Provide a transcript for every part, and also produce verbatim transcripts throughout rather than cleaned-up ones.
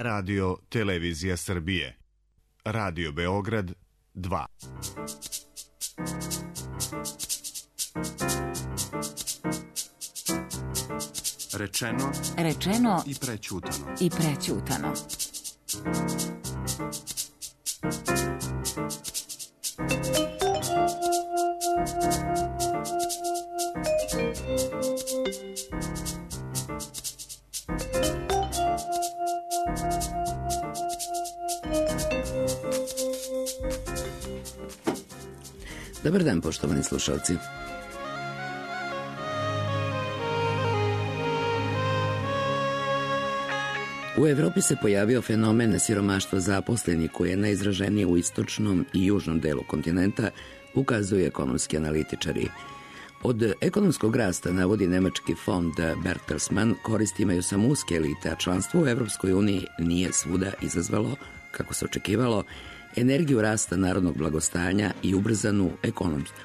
Radio Televizija Srbije. Radio Beograd dva. Rečeno, rečeno i prećutano. I prećutano. Dobar dan, poštovani slušalci. U Evropi se pojavio fenomen siromaštva zaposlenih koji je najizraženiji u istočnom i južnom delu kontinenta, ukazuju ekonomski analitičari. Od ekonomskog rasta, navodi nemački fond Bertelsmann, koristi imaju samo uske elite, a članstvo u Evropskoj uniji nije svuda izazvalo, kako se očekivalo, energiju rasta narodnog blagostanja i ubrzanu ekonomsku,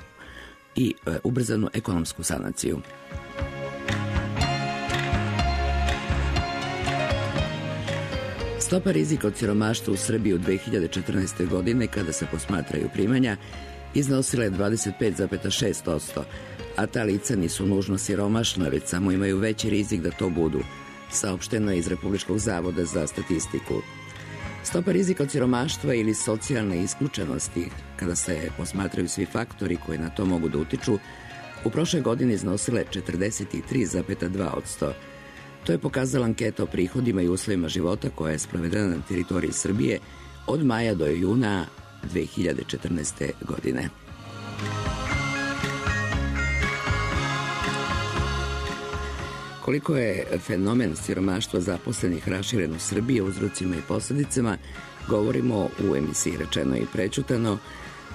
i, e, ubrzanu ekonomsku sanaciju. Stopa rizika od siromaštva u Srbiji u dve hiljade četrnaeste. godine, kada se posmatraju primanja, iznosila je dvadeset pet zarez šest posto, a ta lica nisu nužno siromašna, već samo imaju veći rizik da to budu, saopšteno je iz Republičkog zavoda za statistiku. Stopa rizika od siromaštva ili socijalne isključenosti, kada se posmatraju svi faktori koji na to mogu da utiču, u prošle godini iznosila je četrdeset tri zarez dva posto. To je pokazala anketa o prihodima i uslovima života koja je sprovedena na teritoriji Srbije od maja do juna dve hiljade četrnaeste. godine. Koliko je fenomen siromaštva zaposlenih raširen u Srbiji, uzrocima i posledicama, govorimo u emisiji Rečeno i prećutano.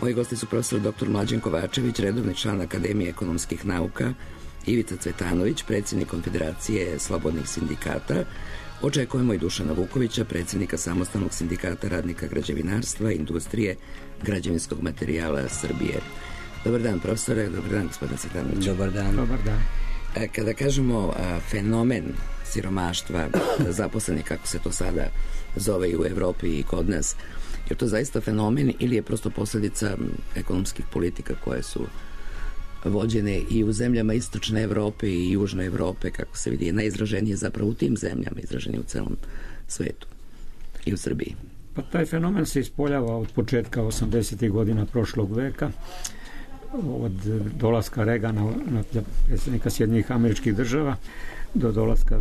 Moji gosti su profesor doktor Mlađan Kovačević, redovni član Akademije ekonomskih nauka, Ivica Cvetanović, predsjednik Konfederacije slobodnih sindikata. Očekujemo i Dušana Vukovića, predsjednika Samostalnog sindikata radnika građevinarstva i industrije građevinskog materijala Srbije. Dobar dan, profesore. Dobar dan, gospodine Cvetanović. Dobar dan. Dobar dan. Kada kažemo a, fenomen siromaštva zaposlenih, kako se to sada zove i u Evropi i kod nas, je to zaista fenomen ili je prosto posljedica ekonomskih politika koje su vođene i u zemljama istočne Evrope i južne Evrope, kako se vidi, je najizraženije zapravo u tim zemljama, izraženije u celom svetu i u Srbiji? Pa taj fenomen se ispoljava od početka osamdesetih godina prošlog veka, od dolaska Reagana na predsjednika Sjedinjenih Američkih Država do dolaska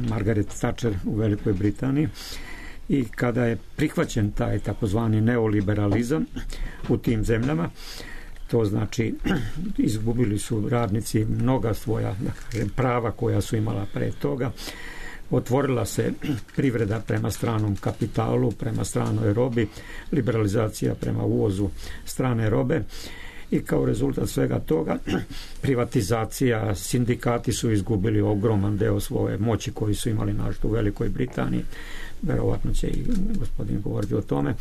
Margaret Thatcher u Velikoj Britaniji, i kada je prihvaćen taj takozvani neoliberalizam u tim zemljama, to znači izgubili su radnici mnoga svoja, da kažem, prava koja su imala pre toga. Otvorila se privreda prema stranom kapitalu, prema stranoj robi, liberalizacija prema uvozu strane robe, i kao rezultat svega toga privatizacija, sindikati su izgubili ogroman deo svoje moći koji su imali našto u Velikoj Britaniji. Verovatno će i gospodin govoriti o tome.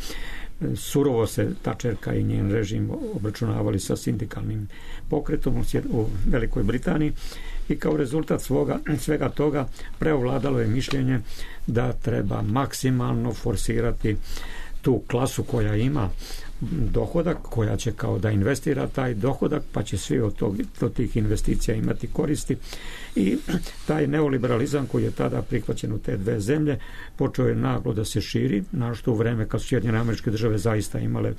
Surovo se Thatcherka i njen režim obračunavali sa sindikalnim pokretom u Velikoj Britaniji, i kao rezultat svoga, svega toga preovladalo je mišljenje da treba maksimalno forsirati tu klasu koja ima dohodak, koja će kao da investira taj dohodak, pa će svi od, tog, od tih investicija imati koristi, i taj neoliberalizam koji je tada prihvaćen u te dve zemlje počeo je naglo da se širi, našto u vreme kad su Sjedinjene Američke Države zaista imale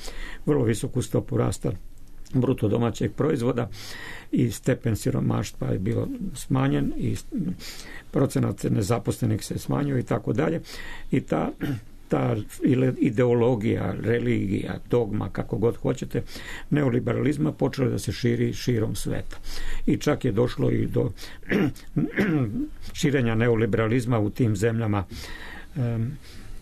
vrlo visoku stopu rasta bruto domaćeg proizvoda, i stepen siromaštva je bilo smanjen i procenat nezaposlenih se smanjio i tako dalje, i ta ta ideologija, religija, dogma, kako god hoćete, neoliberalizma počela da se širi širom sveta. I čak je došlo i do širenja neoliberalizma u tim zemljama um,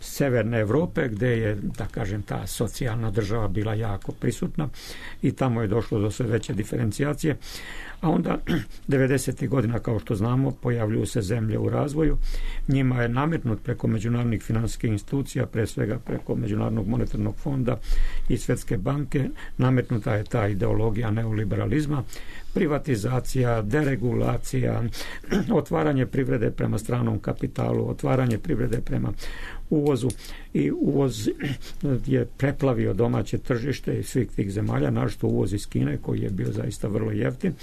severne Evrope, gde je, da kažem, ta socijalna država bila jako prisutna i tamo je došlo do sve veće diferencijacije. A onda devedesetih godina, kao što znamo, pojavljuju se zemlje u razvoju. Njima je nametnut preko međunarodnih finansijskih institucija, pre svega preko Međunarodnog monetarnog fonda i Svetske banke, nametnuta je ta ideologija neoliberalizma, privatizacija, deregulacija, otvaranje privrede prema stranom kapitalu, otvaranje privrede prema uvozu, i uvoz je preplavio domaće tržište i svih tih zemalja, naročito uvoz iz Kine koji je bio zaista vrlo jeftin,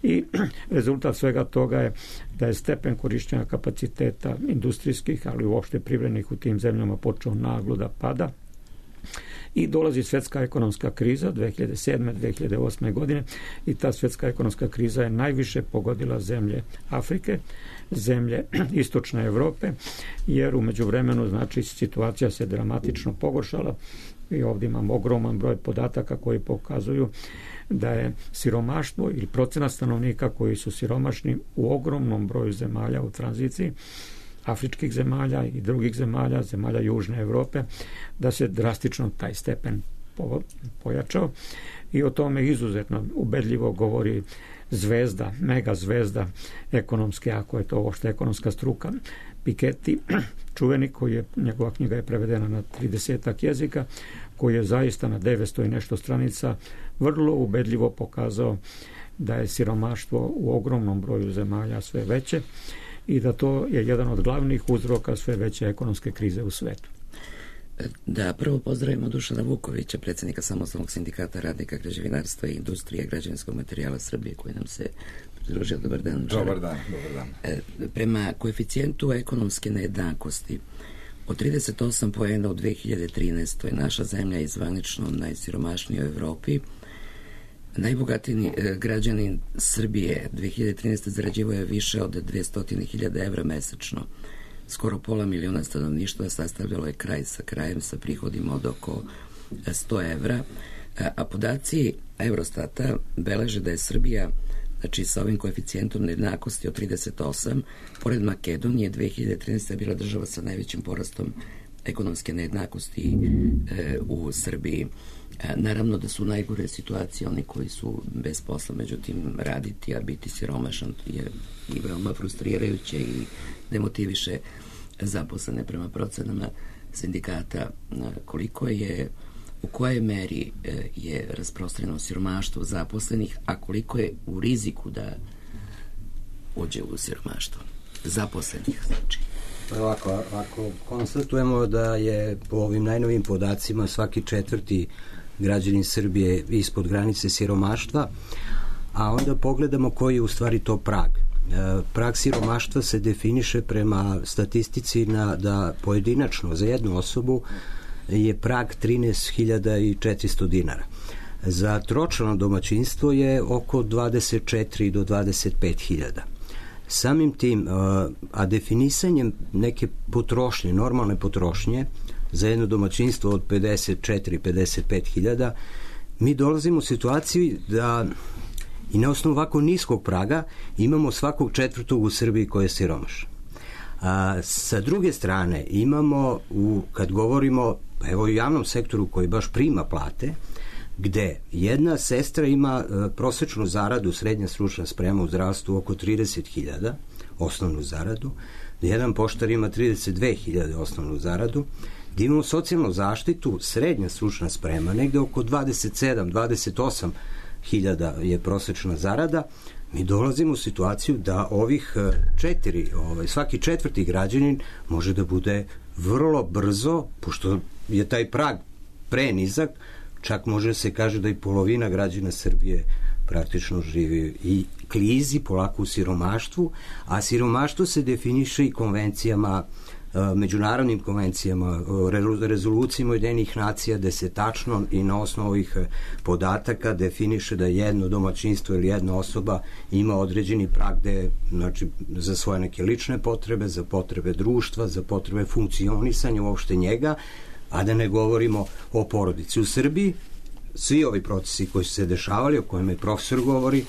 i rezultat svega toga je da je stepen korišćenja kapaciteta industrijskih, ali uopšte privrednih u tim zemljama počeo naglo da pada. I dolazi svetska ekonomska kriza dve hiljade sedme do dve hiljade osme godine, i ta svetska ekonomska kriza je najviše pogodila zemlje Afrike, zemlje istočne Evrope, jer u međuvremenu, znači, situacija se dramatično pogoršala i ovdje imamo ogroman broj podataka koji pokazuju da je siromaštvo ili procenat stanovnika koji su siromašni u ogromnom broju zemalja u tranziciji, afričkih zemalja i drugih zemalja, zemalja Južne Evrope, da se drastično taj stepen pojačao, i o tome izuzetno ubedljivo govori zvezda, mega zvezda ekonomske, ako je to uopšte ekonomska struka, Piketty, čuveni, koji je, njegova knjiga je prevedena na tridesetak jezika, koji je zaista na devetsto i nešto stranica vrlo ubedljivo pokazao da je siromaštvo u ogromnom broju zemalja sve veće i da to je jedan od glavnih uzroka sve veće ekonomske krize u svetu. Da, prvo pozdravimo Dušana Vukovića, predsjednika Samostalnog sindikata radnika građevinarstva i industrije građevinskog materijala Srbije, koji nam se pridružio. Dobar dan. Dobar dan, dobar dan. Prema koeficijentu ekonomske nejednakosti od trideset osam poena u dve hiljade trinaestoj. naša zemlja je zvanično najsiromašnija u Evropi. Najbogatiji građanin Srbije dve hiljade trinaeste. zarađivao je više od dvesta hiljada evra mesečno. Skoro pola miliona stanovništva sastavljalo je kraj sa krajem sa prihodima od oko sto evra, a podaci Eurostata beleže da je Srbija, znači sa ovim koeficijentom nejednakosti od trideset osam, pored Makedonije, dve hiljade trinaeste. bila država sa najvećim porastom ekonomske nejednakosti e, u Srbiji. E, naravno da su najgore situacije oni koji su bez posla, međutim raditi, a biti siromašan je i veoma frustrirajuće i demotiviše zaposlene. Prema procenama sindikata, koliko je, u kojoj meri je rasprostranjeno siromaštvo zaposlenih, a koliko je u riziku da uđe u siromaštvo zaposlenih, znači? Ovako, ako konstatujemo da je po ovim najnovim podacima svaki četvrti građanin Srbije ispod granice siromaštva, a onda pogledamo koji je u stvari to prag. Prag siromaštva se definiše prema statistici na, da pojedinačno za jednu osobu je prag trinaest hiljada četiristo dinara. Za tročlano domaćinstvo je oko dvadeset četiri do dvadeset pet hiljada. Samim tim, a definisanjem neke potrošnje, normalne potrošnje za jedno domaćinstvo od pedeset četiri do pedeset pet hiljada, mi dolazimo u situaciju da i na osnovu ovako niskog praga imamo svakog četvrtog u Srbiji koji je siromašan. A sa druge strane imamo, u, kad govorimo evo u javnom sektoru koji baš prima plate, gde jedna sestra ima e, prosečnu zaradu, srednja stručna sprema u zdravstvu oko trideset hiljada, osnovnu zaradu, gde jedan poštar ima trideset dve hiljade osnovnu zaradu, gde imamo socijalnu zaštitu, srednja stručna sprema, negde oko dvadeset sedam do dvadeset osam hiljada je prosečna zarada. Mi dolazimo u situaciju da ovih četiri, ovaj, svaki četvrti građanin može da bude vrlo brzo, pošto je taj prag prenizak, čak može se kaže da i polovina građana Srbije praktično živi i klizi polako u siromaštvu, a siromaštvo se definiše i konvencijama, međunarodnim konvencijama, rezolucijama Ujedinjenih nacija, gde se tačno i na osnovu ovih podataka definiše da jedno domaćinstvo ili jedna osoba ima određeni prag gde, znači, za svoje neke lične potrebe, za potrebe društva, za potrebe funkcionisanja uopšte njega, a da ne govorimo o porodici. U Srbiji svi ovi procesi koji su se dešavali, o kojima je profesor govori,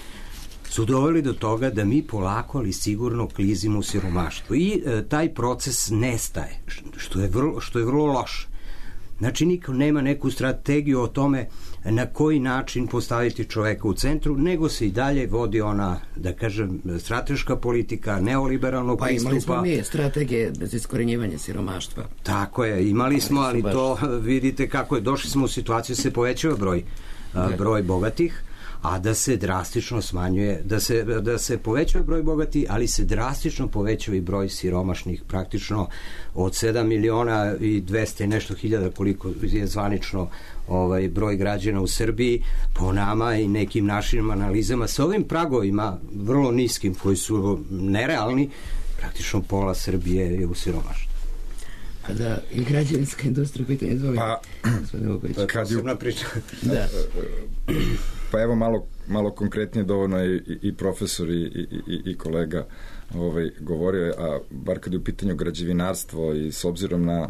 su doveli do toga da mi polako, ali sigurno klizimo u siromaštvo. I e, taj proces nestaje, što je vrlo, što je vrlo loše. Znači, niko nema neku strategiju o tome na koji način postaviti čoveka u centru, nego se i dalje vodi ona, da kažem, strateška politika, neoliberalnog pa pristupa. Pa imali smo mi strategije za iskorenjivanje siromaštva. Tako je, imali smo, ali to vidite kako je, došli smo u situaciju da se povećava broj, a, broj bogatih, a da se drastično smanjuje, da se, da se povećava broj bogati, ali se drastično povećava i broj siromašnih, praktično od sedam miliona i dvesta i nešto hiljada, koliko je zvanično ovaj broj građana u Srbiji, po nama i nekim našim analizama, sa ovim pragovima vrlo niskim, koji su nerealni, praktično pola Srbije je u siromaštvu. A da, i građevinska industrija pitanje izvoli. Pa, kad ju... da. Pa evo malo, malo konkretnije, dovoljno je i, i profesor i, i, i kolega ovaj, govorio, a bar kad je u pitanju građevinarstvo i s obzirom na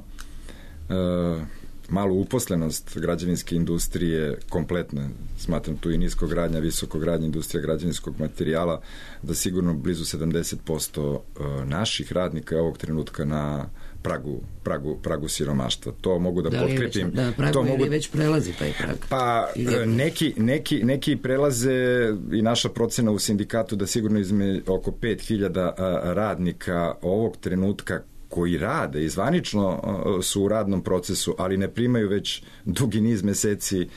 uh, malu uposlenost građevinske industrije kompletne, smatram tu i niskogradnja, visokogradnja, industrija građevinskog materijala, da sigurno blizu sedamdeset posto naših radnika je ovog trenutka na pragu, pragu, pragu siromaštva. To mogu da, da potkrepim. Da, pragu to mogu... već prelazi taj prag? Pa neki, neki, neki prelaze i naša procena u sindikatu da sigurno izme oko pet hiljada radnika ovog trenutka koji rade i zvanično su u radnom procesu, ali ne primaju već dugi niz meseci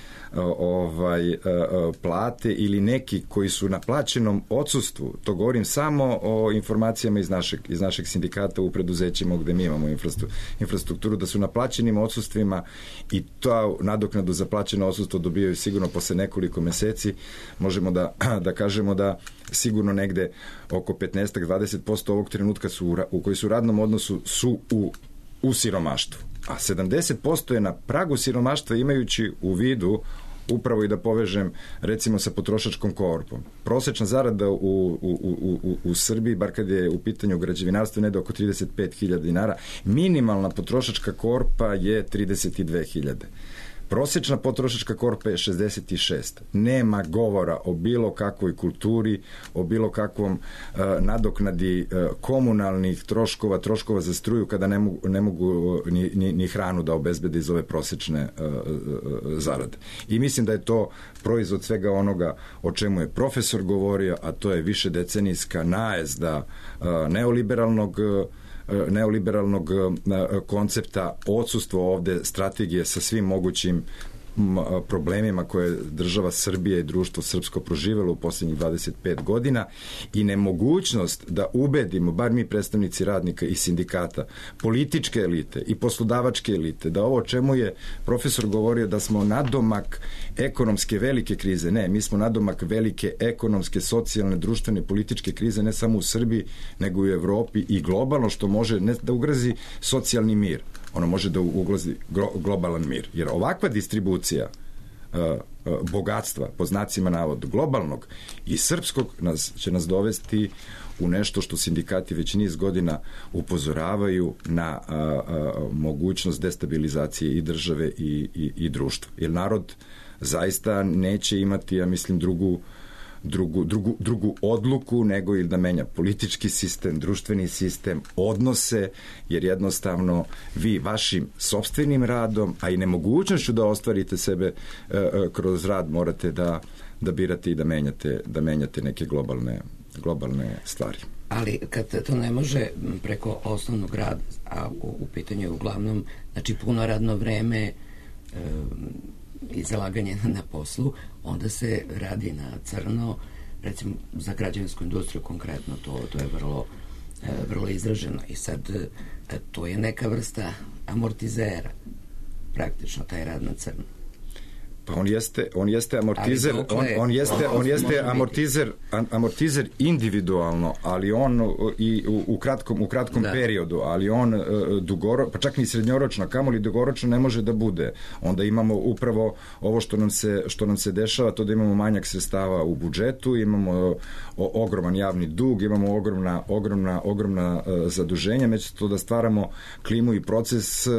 ovaj plate, ili neki koji su na plaćenom odsustvu. To govorim samo o informacijama iz našeg, iz našeg sindikata u preduzećima gde mi imamo infrastrukturu, da su na plaćenim odsustvima i to nadoknadu za plaćeno odsustvo dobijaju sigurno posle nekoliko meseci. Možemo da, da kažemo da sigurno negde oko petnaest do dvadeset posto ovog trenutka su u, u koji su u radnom odnosu su u, u siromaštvu. A sedamdeset posto je na pragu siromaštva, imajući u vidu upravo i da povežem recimo sa potrošačkom korpom. Prosečna zarada u, u, u, u, u Srbiji, bar kad je u pitanju građevinarstva, ne da oko trideset pet hiljada dinara. Minimalna potrošačka korpa je trideset dve hiljade. Prosečna potrošačka korpa je šezdeset šest. Nema govora o bilo kakvoj kulturi, o bilo kakvom uh, nadoknadi uh, komunalnih troškova, troškova za struju, kada ne mogu, ne mogu ni, ni, ni hranu da obezbede iz ove prosečne uh, uh, zarade. I mislim da je to proizvod svega onoga o čemu je profesor govorio, a to je višedecenijska najezda uh, neoliberalnog uh, neoliberalnog koncepta, odsustvo ovde strategije sa svim mogućim problemima koje država Srbija i društvo srpsko proživelo u posljednjih dvadeset pet godina i nemogućnost da ubedimo, bar mi predstavnici radnika i sindikata, političke elite i poslodavačke elite, da ovo o čemu je profesor govorio da smo nadomak ekonomske velike krize, ne, mi smo nadomak velike ekonomske, socijalne, društvene, političke krize, ne samo u Srbiji, nego i u Evropi i globalno, što može ne da ugrozi socijalni mir, ono može da ugrozi globalan mir. Jer ovakva distribucija uh, uh, bogatstva, po znacima navoda, globalnog i srpskog, nas, će nas dovesti u nešto što sindikati već niz godina upozoravaju na uh, uh, mogućnost destabilizacije i države i, i, i društva. Jer narod zaista neće imati, ja mislim, drugu Drugu, drugu, drugu odluku nego ili da menja politički sistem, društveni sistem, odnose, jer jednostavno vi vašim sopstvenim radom, a i nemogućnošću da ostvarite sebe e, e, kroz rad, morate da, da birate i da menjate, da menjate neke globalne, globalne stvari. Ali kad to ne može preko osnovnog rada, a u, u pitanju je uglavnom znači puno radno vreme e, i zalaganje na poslu, onda se radi na crno, recimo za građevinsku industriju konkretno, to, to je vrlo, vrlo izraženo. I sad to je neka vrsta amortizera, praktično taj rad na crno. Pa on jeste, on jeste amortizer, on, on jeste, on jeste amortizer, amortizer individualno, ali on i u, u kratkom, u kratkom da. periodu, ali on uh, dugoro, pa čak ni srednjoročno, kamoli dugoročno ne može da bude. Onda imamo upravo ovo što nam se, što nam se dešava, to da imamo manjak sredstava u budžetu, imamo o, ogroman javni dug, imamo ogromna, ogromna, ogromna uh, zaduženja, međutim to da stvaramo klimu i proces uh,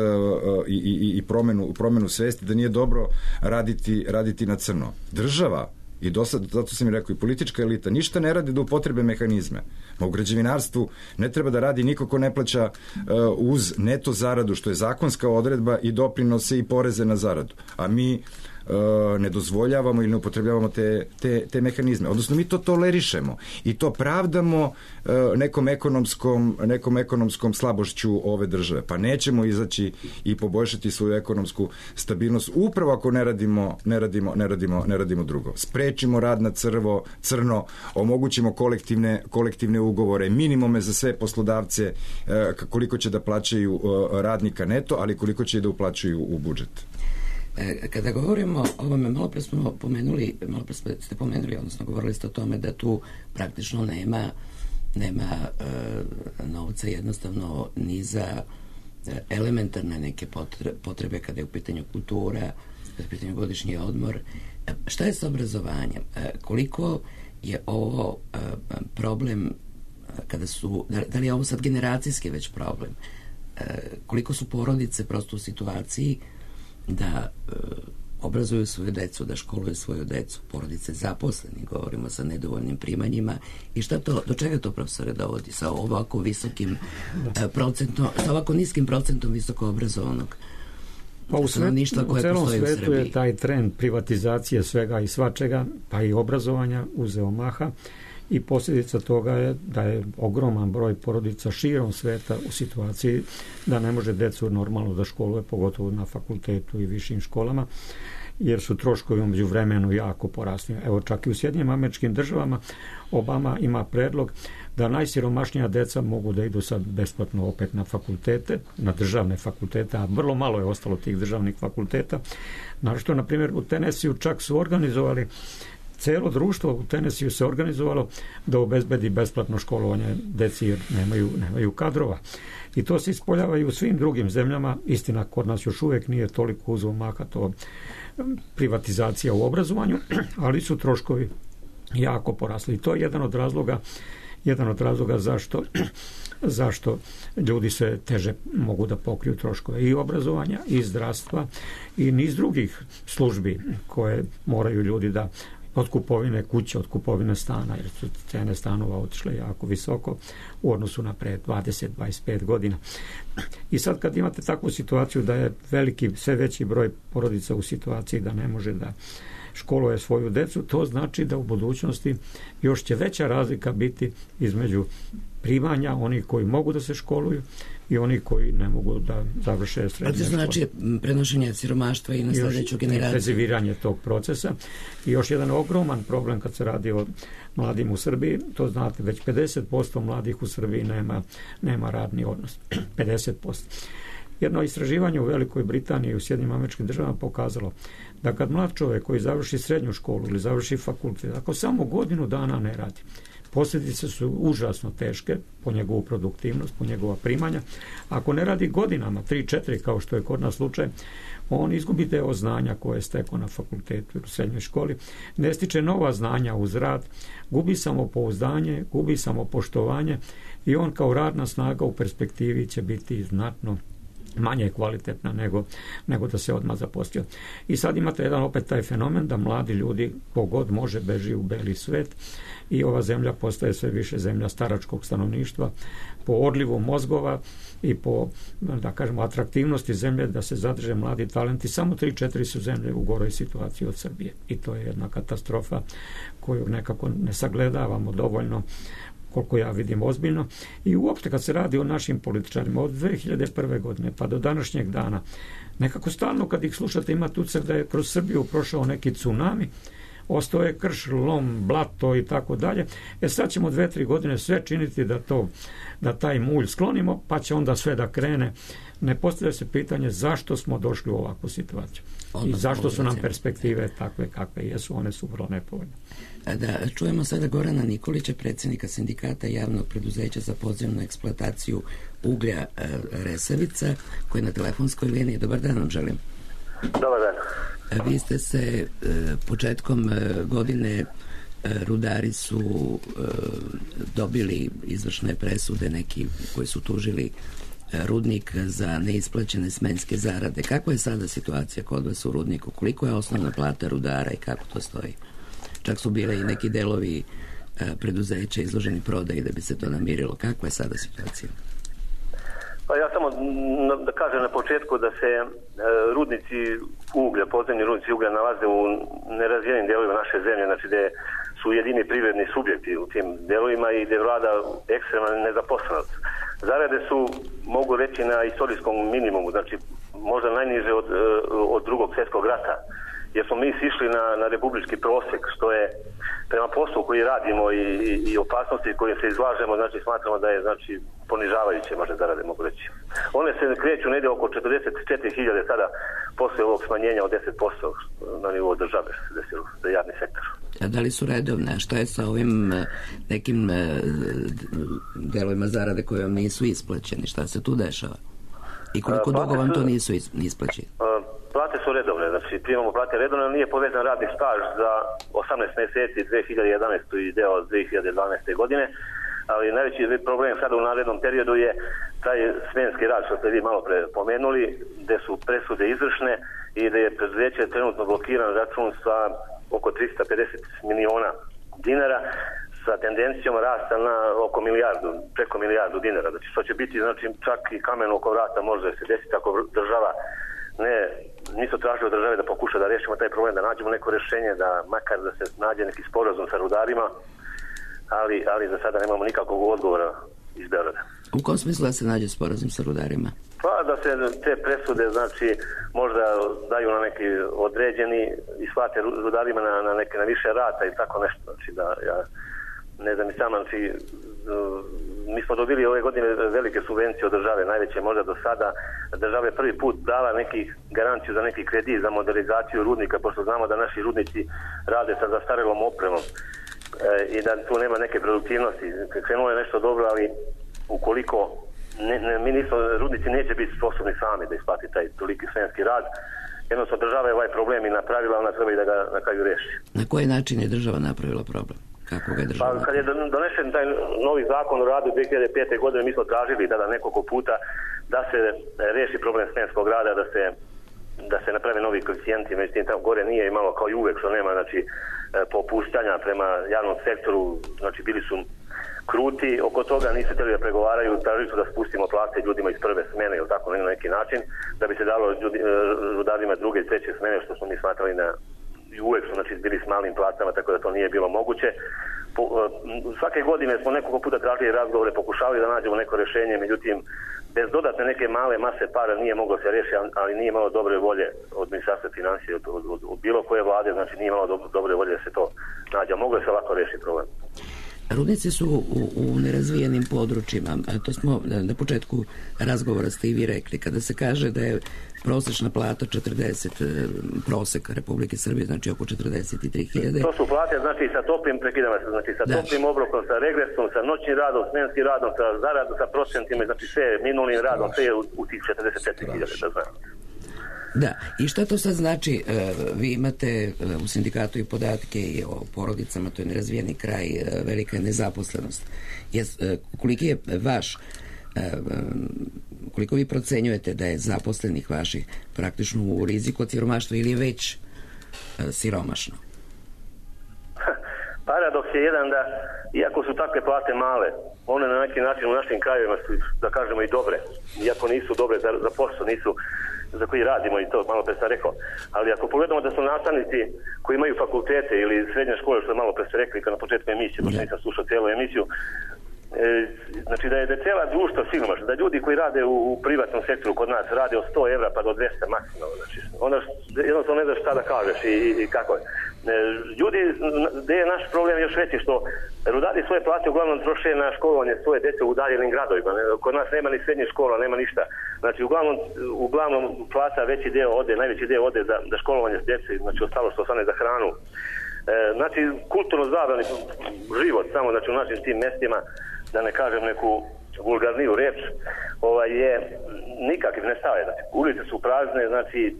i, i, i promenu, promenu svesti, da nije dobro raditi raditi na crno. Država I do sad, zato sam i rekao, i politička elita ništa ne radi da upotrebe mehanizme. Ma u građevinarstvu ne treba da radi niko ko ne plaća uh, uz neto zaradu, što je zakonska odredba, i doprinose i poreze na zaradu. A mi ne dozvoljavamo ili ne upotrebljavamo te, te, te mehanizme. Odnosno mi to tolerišemo i to pravdamo nekom ekonomskom, nekom ekonomskom slabošću ove države. Pa nećemo izaći i poboljšati svoju ekonomsku stabilnost upravo ako ne radimo, ne radimo, ne radimo, ne radimo drugo. Sprečimo rad na crvo, crno, omogućimo kolektivne, kolektivne ugovore, minimume za sve poslodavce, koliko će da plaćaju radnika neto, ali koliko će da uplaćuju u budžet. Kada govorimo o ovome, malo pre smo pomenuli, malo pre ste pomenuli, odnosno govorili ste o tome da tu praktično nema, nema e, novca jednostavno ni za elementarne neke potrebe, potrebe kada je u pitanju kultura, kada je u pitanju godišnji odmor. E, šta je sa obrazovanjem? E, koliko je ovo e, problem kada su, da, da li je ovo sad generacijski već problem? E, koliko su porodice prosto u situaciji da e, obrazuju svoju decu, da školuju svoju decu, porodice zaposleni, govorimo sa nedovoljnim primanjima, i šta to, do čega to, profesore, dovodi sa ovako visokim e, procentom, sa ovako niskim procentom visoko obrazovanog pa u, svet, u celom svetu je taj trend privatizacije svega i svačega, pa i obrazovanja uzeo maha, i posljedica toga je da je ogroman broj porodica širom sveta u situaciji da ne može decu normalno da školuje, pogotovo na fakultetu i višim školama, jer su troškovi umeđu vremenu jako porasli. Evo, čak i u Sjedinjenim Američkim Državama Obama ima predlog da najsiromašnija deca mogu da idu sad besplatno opet na fakultete, na državne fakultete, a vrlo malo je ostalo tih državnih fakulteta. Naravno, na primjer, u Tenesiju čak su organizovali, celo društvo u Tenesiju se organizovalo da obezbedi besplatno školovanje deci jer nemaju, nemaju kadrova. I to se ispoljava i u svim drugim zemljama. Istina, kod nas još uvijek nije toliko uzeo maha to privatizacija u obrazovanju, ali su troškovi jako porasli. I to je jedan od razloga, jedan od razloga zašto, zašto ljudi se teže mogu da pokriju troškove i obrazovanja, i zdravstva, i niz drugih službi koje moraju ljudi da od kupovine kuće, od kupovine stana, jer su cene stanova otišle jako visoko u odnosu na pre dvadeset do dvadeset pet godina. I sad kad imate takvu situaciju da je veliki, sve veći broj porodica u situaciji da ne može da školuje svoju decu, to znači da u budućnosti još će veća razlika biti između primanja onih koji mogu da se školuju i oni koji ne mogu da završe srednje škole. To znači prenošenje siromaštva i na sljedeću generaciju. Intenziviranje tog procesa. I još jedan ogroman problem kad se radi o mladim u Srbiji, to znate, već pedeset posto mladih u Srbiji nema, nema radni odnos. pedeset posto. Jedno istraživanje u Velikoj Britaniji i u Sjedinjenim Američkim Državama pokazalo da kad mlad čovjek koji završi srednju školu ili završi fakultet, ako samo godinu dana ne radi, posljedice su užasno teške po njegovu produktivnost, po njegova primanja. Ako ne radi godinama, tri četiri kao što je kod nas slučaj, on izgubi deo znanja koje je stekao na fakultetu ili u srednjoj školi, ne stiče nova znanja uz rad, gubi samopouzdanje, gubi samopoštovanje i on kao radna snaga u perspektivi će biti znatno manje kvalitetna nego, nego da se odmah zaposlio. I sad imate jedan opet taj fenomen da mladi ljudi kogod može beži u beli svet i ova zemlja postaje sve više zemlja staračkog stanovništva po odlivu mozgova i po, da kažemo, atraktivnosti zemlje da se zadrže mladi talenti. Samo tri četiri su zemlje u goroj situaciji od Srbije i to je jedna katastrofa koju nekako ne sagledavamo dovoljno, koliko ja vidim, ozbiljno. I uopšte kad se radi o našim političarima od dve hiljade prve godine pa do današnjeg dana, nekako stalno kad ih slušate imate utisak da je kroz Srbiju prošao neki tsunami, ostao je krš, lom, blato i tako dalje. E sad ćemo dve, tri godine sve činiti da to, da taj mulj sklonimo, pa će onda sve da krene. Ne postavlja se pitanje zašto smo došli u ovakvu situaciju. I zašto su nam perspektive takve kakve jesu, one su vrlo nepovoljne. Da čujemo sada Gorana Nikolića, predsjednika sindikata javnog preduzeća za podzemnu eksploataciju uglja Resavica, koji je na telefonskoj liniji. Dobar dan vam želim. Dobar dan. Vi ste se početkom godine, rudari su dobili izvršne presude, neki koji su tužili rudnik za neisplaćene smenske zarade. Kakva je sada situacija kod vas u rudniku? Koliko je osnovna plata rudara i kako to stoji? čak su bile i neki delovi preduzeća izloženi prodaji da bi se to namirilo. Kakva je sada situacija? Pa ja samo da kažem na početku da se e, rudnici uglja, podzemni rudnici uglja nalaze u nerazvijenim delovima naše zemlje, znači gde su jedini privredni subjekti u tim delovima i gde vlada ekstremna nezaposlenost. Zarade su, mogu reći, na istorijskom minimumu, znači možda najniže od, od drugog svjetskog rata, jer smo mi sišli na, na republički prosjek, što je prema poslu koji radimo i, i, i opasnosti kojim se izlažemo, znači smatramo da je znači ponižavajuće, možda zarade mogu reći. One se kreću negdje oko četrdeset četiri hiljade sada posle ovog smanjenja od deset posto na nivou države što se desilo za javni sektor. A da li su redovne? Šta je sa ovim nekim delovima zarade koje vam nisu isplaćeni? Šta se tu dešava? I koliko dugo vam to nisu isplaćeni? Plate su redovne, znači primamo plate redovne, ali nije povezan radni staž za osamnaest mjeseci dve hiljade jedanaeste. i deo dve hiljade dvanaeste. godine, ali najveći problem sada u narednom periodu je taj smenski rad što ste vi malo pre pomenuli, gde su presude izvršne i da je preduzeće trenutno blokiran račun sa oko trista pedeset miliona dinara sa tendencijom rasta na oko milijardu, preko milijardu dinara. Znači što će biti, znači čak i kamen oko vrata može se desiti ako država ne, nisu tražili od države da pokuša da rešimo taj problem, da nađemo neko rešenje, da makar da se nađe neki sporazum sa rudarima, ali, ali za sada nemamo nikakvog odgovora iz Beograda. U kom smislu da se nađe sporazum sa rudarima? Pa da se te presude znači možda daju na neki određeni i shvate rudarima na, na neke na više rata i tako nešto. Znači da ja ne znam i sama, znači mi smo dobili ove godine velike subvencije od države, najveće možda do sada. Država je prvi put dala neki garanciju za neki kredit za modernizaciju rudnika, pošto znamo da naši rudnici rade sa zastarelom opremom e, i da tu nema neke produktivnosti. Krenulo je nešto dobro, ali ukoliko ne, ne, mi nismo, rudnici neće biti sposobni sami da isplati taj toliki smenski rad. Jednostavno država je ovaj problem i napravila, ona treba i da ga na kraju reši. Na koji način je država napravila problem? Kako ga je država pa, kad je donesen taj novi zakon o radu dve hiljade pete. godine, mi smo tražili tada nekoliko puta da se reši problem smenskog rada, da se, da se naprave novi koeficijenti, međutim tamo gore nije imalo kao i uvek što nema, znači popuštanja prema javnom sektoru, znači bili su kruti oko toga, nisu htjeli da pregovaraju, tražili su da spustimo plate ljudima iz prve smene ili tako na neki način, da bi se dalo ljudi, rudarima druge i treće smene, što smo mi smatrali na i uvek su znači bili s malim platama, tako da to nije bilo moguće. Po, svake godine smo nekoliko puta tražili razgovore, pokušavali da nađemo neko rješenje, međutim bez dodatne neke male mase para nije moglo se riješiti, ali nije imalo dobre volje od Ministarstva financija, od, od, od, od bilo koje vlade, znači nije imalo do, dobre volje da se to nađe. Moglo je se lako riješiti problem. Rudnici su u, u nerazvijenim područjima, a to smo na početku razgovora ste i vi rekli, kada se kaže da je prosječna plata četrdeset, prosek Republike Srbije, znači oko četrdeset tri hiljade. To su plate, znači sa toplim prekidama, znači sa da. toplim obrokom, sa regresom, sa noćnim radom, smenskim radom, sa zaradom, sa procentima, znači sve minulim radom, sve je u, u tih četrdeset četiri hiljade, da znam. Da, i šta to sad znači, vi imate u sindikatu i podatke i o porodicama, to je nerazvijeni kraj, velika je nezaposlenost. Koliki je vaš, koliko vi procenjujete da je zaposlenih vaših praktično u riziku od siromaštva ili je već siromašno? Paradoks je jedan da, iako su takve plate male, one na neki način u našim krajevima su, da kažemo, i dobre. Iako nisu dobre za, za posao, nisu za koji radimo i to malo pre sam rekao. Ali ako pogledamo da su nastavnici koji imaju fakultete ili srednje škole, što je malo pre ste rekli kad na početku emisije, pošto nisam slušao cijelu emisiju, e, znači da je, da je cijela društva siromašna, da ljudi koji rade u, u privatnom sektoru kod nas rade od sto evra pa do dvesta maksimalno. Znači, onda jednostavno ne znaš šta da kažeš i, i, i kako je. Ljudi, gde je naš problem još veći, što rudari svoje plate uglavnom troše na školovanje svoje dece u udaljenim gradovima. Kod nas nema ni srednje škola, nema ništa. Znači uglavnom, uglavnom plata veći deo ode, najveći deo ode za, za školovanje s dece, znači ostalo što ostane za hranu. E, znači kulturno zabrani život samo znači u našim tim mestima, da ne kažem neku vulgarniju reč, ovaj, je nikakvi ne stave. Znači, ulice su prazne, znači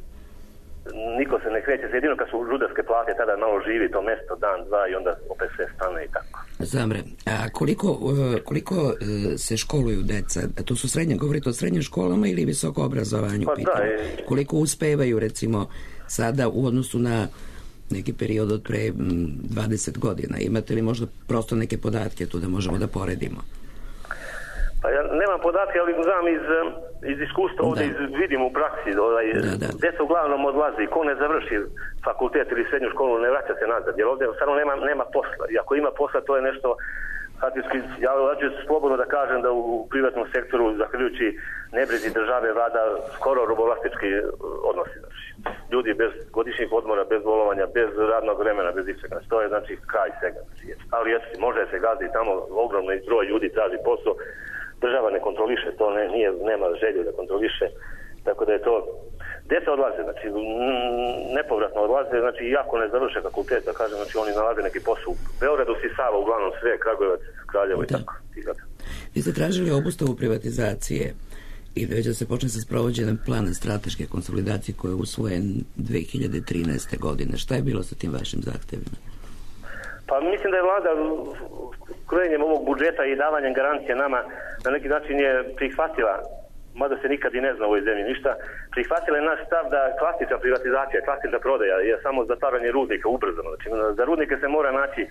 niko se ne kreće, jedino kad su rudarske plate tada malo živi to mesto, dan, dva i onda opet sve stane i tako. Zamre, a koliko, koliko se školuju deca? To su srednje, govorite o srednjim školama ili visoko obrazovanju? Pa da, je... Koliko uspevaju recimo sada u odnosu na neki period od pre dvadeset godina. Imate li možda prosto neke podatke tu da možemo da poredimo? Pa ja nemam podatke, ali znam iz, iz iskustva, ovdje iz, vidim u praksi, ovaj, da, da. Djeca uglavnom odlazi, ko ne završi fakultet ili srednju školu, ne vraća se nazad, jer ovdje stvarno nema, nema posla. I ako ima posla, to je nešto, faktički, ja ću slobodno da kažem da u privatnom sektoru, zahvaljujući nebrizi države, vlada skoro robovlastički odnosi. Znači, ljudi bez godišnjih odmora, bez bolovanja, bez radnog vremena, bez ičega. To je znači kraj svega. Ali jesi, može se gazi tamo, ogromni broj ljudi traži posao, država ne kontroliše, to ne, nije, nema želju da kontroliše, tako da je to, djeca odlaze, znači nepovratno odlaze, znači iako ne završe fakultet, da kažem, znači oni nalaze neki posao u Beogradu, Sisava, uglavnom sve, Kragujevac, Kraljevo i tako. Vi ste tražili obustavu privatizacije i već da se počne sa sprovođenjem plana strateške konsolidacije koji je usvojen dve hiljade trinaeste. godine. Šta je bilo sa tim vašim zahtevima? Pa mislim da je vlada krojenjem ovog budžeta i davanjem garancije nama na neki način je prihvatila, mada se nikad i ne zna u ovoj zemlji ništa, prihvatila je naš stav da klasična privatizacija, klasična prodaja je samo zatvaranje rudnika ubrzano. Znači, za rudnike se mora naći,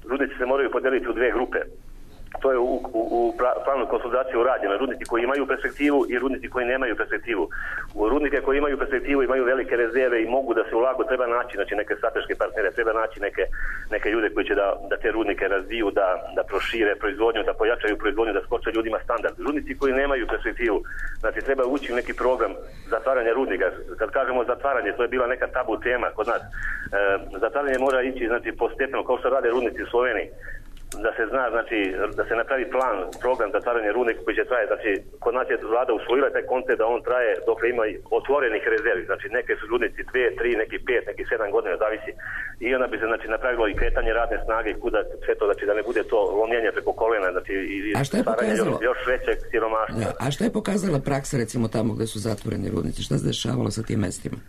rudnici se moraju podeliti u dve grupe. To je u, u, u planu konsolidacije urađeno. Rudnici koji imaju perspektivu i rudnici koji nemaju perspektivu. U rudnike koji imaju perspektivu imaju velike rezerve i mogu da se ulagu, treba naći znači, neke strateške partnere, treba naći neke, neke ljude koji će da, da te rudnike razviju, da, da prošire proizvodnju, da pojačaju proizvodnju, da skoče ljudima standard. Rudnici koji nemaju perspektivu, znači treba ući u neki program zatvaranja rudnika. Kad kažemo zatvaranje, to je bila neka tabu tema kod nas. E, zatvaranje mora ići znači, postepeno, kao što rade rudnici u Sloveniji. Da se zna, znači, da se napravi plan, program zatvaranja rudnika koji će traje, znači, kod nas je vlada usvojila taj koncept da on traje dok ima otvorenih rezervi, znači, neke su rudnici dve, tri, neki pet, neki sedam godina, zavisi. I onda bi se, znači, napravilo i kretanje radne snage i kuda sve to, znači, da ne bude to lomljenje preko kolena, znači, i stvaranje još, još većeg siromaštva. Da, a šta je pokazala praksa, recimo, tamo gde su zatvoreni rudnici? Šta se dešavalo sa tim mestima?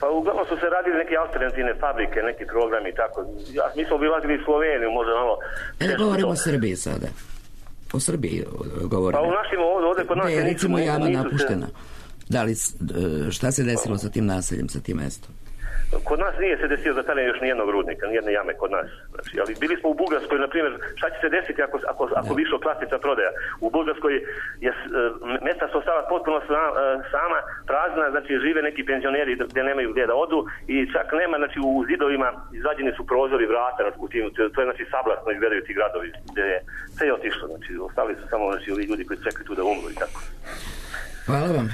Pa uglavnom su se radili neke alternativne fabrike, neki programi i tako. Ja, mi smo obilazili i Sloveniju, možda malo... E, da govorimo o Srbiji sada. O Srbiji govorimo. Pa u našim ovdje, ovdje kod nas... Da je recimo jama napuštena. Da li, šta se desilo sa tim naseljem, sa tim mestom? Kod nas nije se desilo zatvaranje još nijednog rudnika, nijedne jame kod nas. Znači, ali bili smo u Bugarskoj, na primjer, šta će se desiti ako, ako, ako bi išlo klasična prodaja? U Bugarskoj je mesta su ostala potpuno sama, prazna, znači žive neki penzioneri gdje nemaju gdje da odu i čak nema, znači u zidovima izvađeni su prozori, vrata, u tim, to je znači sablasno izgledaju ti gradovi gdje je sve je otišlo, znači ostali su samo znači, ovi ljudi koji čekaju tu da umru i tako. Hvala vam.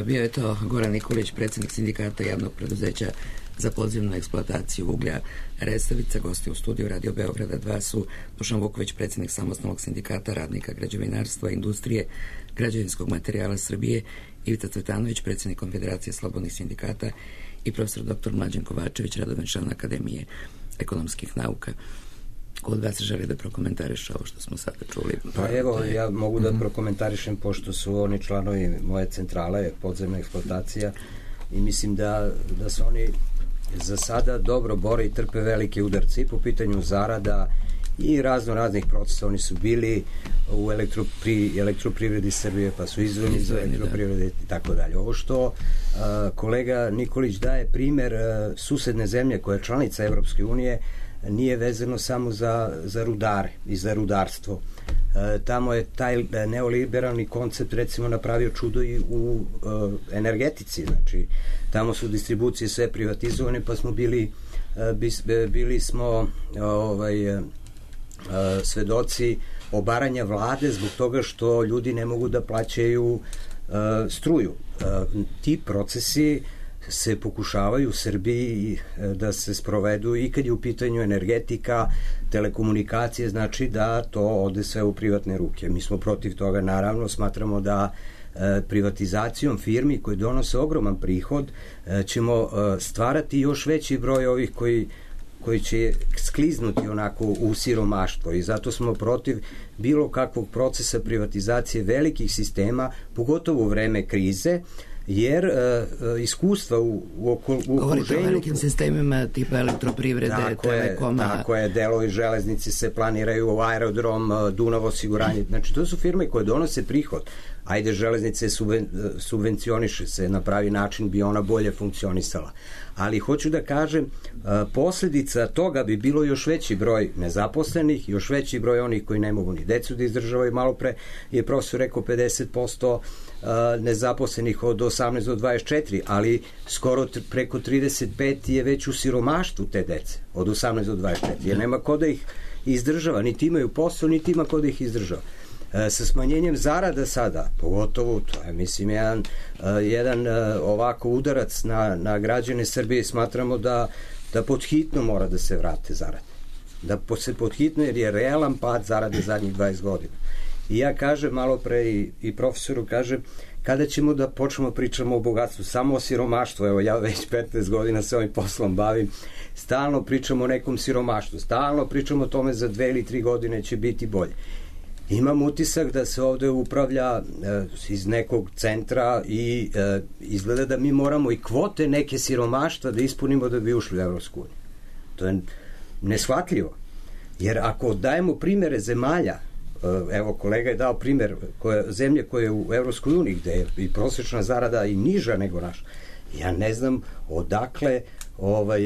Bio je to Goran Nikolić, predsjednik sindikata javnog preduzeća za podzemnu eksploataciju uglja Resavica. Gosti u studiju Radio Beograda dva su Dušan Vuković, predsjednik samostalnog sindikata radnika građevinarstva, industrije, građevinskog materijala Srbije, Ivica Cvetanović, predsjednik Konfederacije slobodnih sindikata i profesor doktor Mlađan Kovačević, radovan član Akademije ekonomskih nauka. Ko od vas želi da prokomentariše ovo što smo sada čuli? Pa evo, ja mogu da prokomentarišem pošto su oni članovi moje centrale, podzemna eksploatacija, i mislim da, da su oni za sada dobro bore i trpe velike udarce i po pitanju zarada i razno raznih procesa. Oni su bili u elektropri, elektroprivredi Srbije, pa su izvojeni iz elektroprivrede i tako dalje. Ovo što a, kolega Nikolić daje primer a, susedne zemlje koja je članica Evropske unije, nije vezano samo za, za rudare i za rudarstvo. E, tamo je taj neoliberalni koncept recimo napravio čudo i u e, energetici, znači tamo su distribucije sve privatizovane, pa smo bili e, bis, bili smo ovaj, e, svedoci obaranja vlade zbog toga što ljudi ne mogu da plaćaju e, struju. E, ti procesi se pokušavaju u Srbiji da se sprovedu i kad je u pitanju energetika, telekomunikacije, znači da to ode sve u privatne ruke. Mi smo protiv toga, naravno, smatramo da e, privatizacijom firmi koji donose ogroman prihod e, ćemo e, stvarati još veći broj ovih koji koji će skliznuti onako u siromaštvo i zato smo protiv bilo kakvog procesa privatizacije velikih sistema, pogotovo u vreme krize, jer uh, iskustva u, u, oko, u okruženju... Govorite o velikim sistemima tipa elektroprivrede, tako Telekoma... Je, tako je, delovi železnici se planiraju, aerodrom, Dunav osiguranje, znači to su firme koje donose prihod. Ajde, železnice subven, subvencioniše se, na pravi način bi ona bolje funkcionisala. Ali hoću da kažem, posljedica toga bi bilo još veći broj nezaposlenih, još veći broj onih koji ne mogu ni decu da izdržavaju. Malo pre je profesor rekao pedeset posto nezaposlenih od osamnaest do dvadeset četiri, ali skoro preko trideset pet je već u siromaštvu te dece, od osamnaest do dvadeset četiri, jer nema ko da ih izdržava, niti imaju posao, niti ima ko da ih izdržava. Sa smanjenjem zarada sada, pogotovo, to je, mislim, jedan, jedan ovako udarac na, na građane Srbije, smatramo da, da podhitno mora da se vrate zarade. Da se podhitno, jer je realan pad zarade zadnjih dvadeset godina. I ja kažem, malo pre i, i profesoru kažem, kada ćemo da počnemo pričamo o bogatstvu, samo o siromaštvu, evo ja već petnaest godina se ovim poslom bavim, stalno pričamo o nekom siromaštvu, stalno pričamo o tome za dve ili tri godine će biti bolje. Imam utisak da se ovde upravlja e, iz nekog centra i e, izgleda da mi moramo i kvote neke siromaštva da ispunimo da bi ušli u Evropsku uniju. To je neshvatljivo. Jer ako dajemo primere zemalja, e, evo kolega je dao primer koje, zemlje koje je u Evropskoj uniji gde je i prosječna zarada i niža nego naša, ja ne znam odakle ovaj,